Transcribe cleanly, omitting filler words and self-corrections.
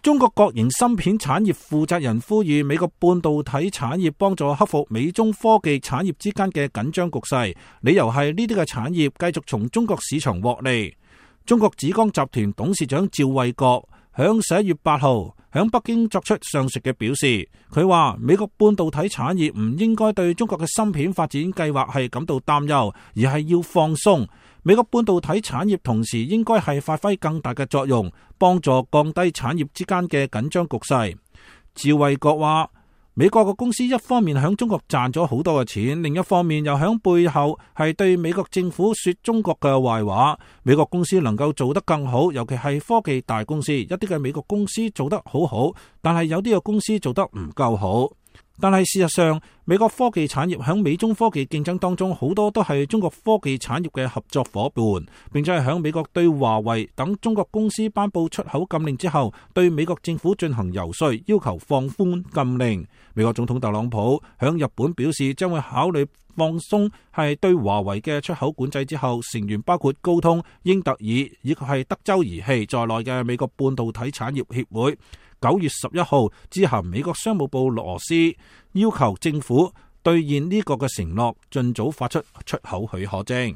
中國國營芯片產業負責人呼籲美國半導體產業幫助克服美中科技產業之間嘅緊張局勢，理由係呢啲嘅產業繼續從中國市場獲利。中國紫光集團董事長趙衛國響11月8號響北京作出上述嘅表示，佢話美國半導體產業唔應該對中國嘅芯片發展計劃係感到擔憂，而係要放鬆。美國半導體產業同時應該係發揮更大嘅作用，幫助降低產業之間嘅緊張局勢。趙衛國話，美國嘅公司一方面響中國賺咗好多嘅錢，另一方面又響背後係對美國政府說中國嘅壞話。美國公司能夠做得更好，尤其係科技大公司，一啲嘅美國公司做得好好，但係有啲嘅公司做得唔夠好。但係事實上，美國科技產業響美中科技競爭當中，好多都係中國科技產業嘅合作夥伴，並且係響美國對華為等中國公司頒布出口禁令之後，對美國政府進行游說，要求放寬禁令。美國總統特朗普響日本表示，將會考慮放鬆係對華為嘅出口管制之後，成員包括高通、英特爾以及係德州儀器在內嘅美國半導體產業協會9月11號致函美國商務部羅斯，要求政府兌現呢個嘅承諾，盡早發出出口許可證。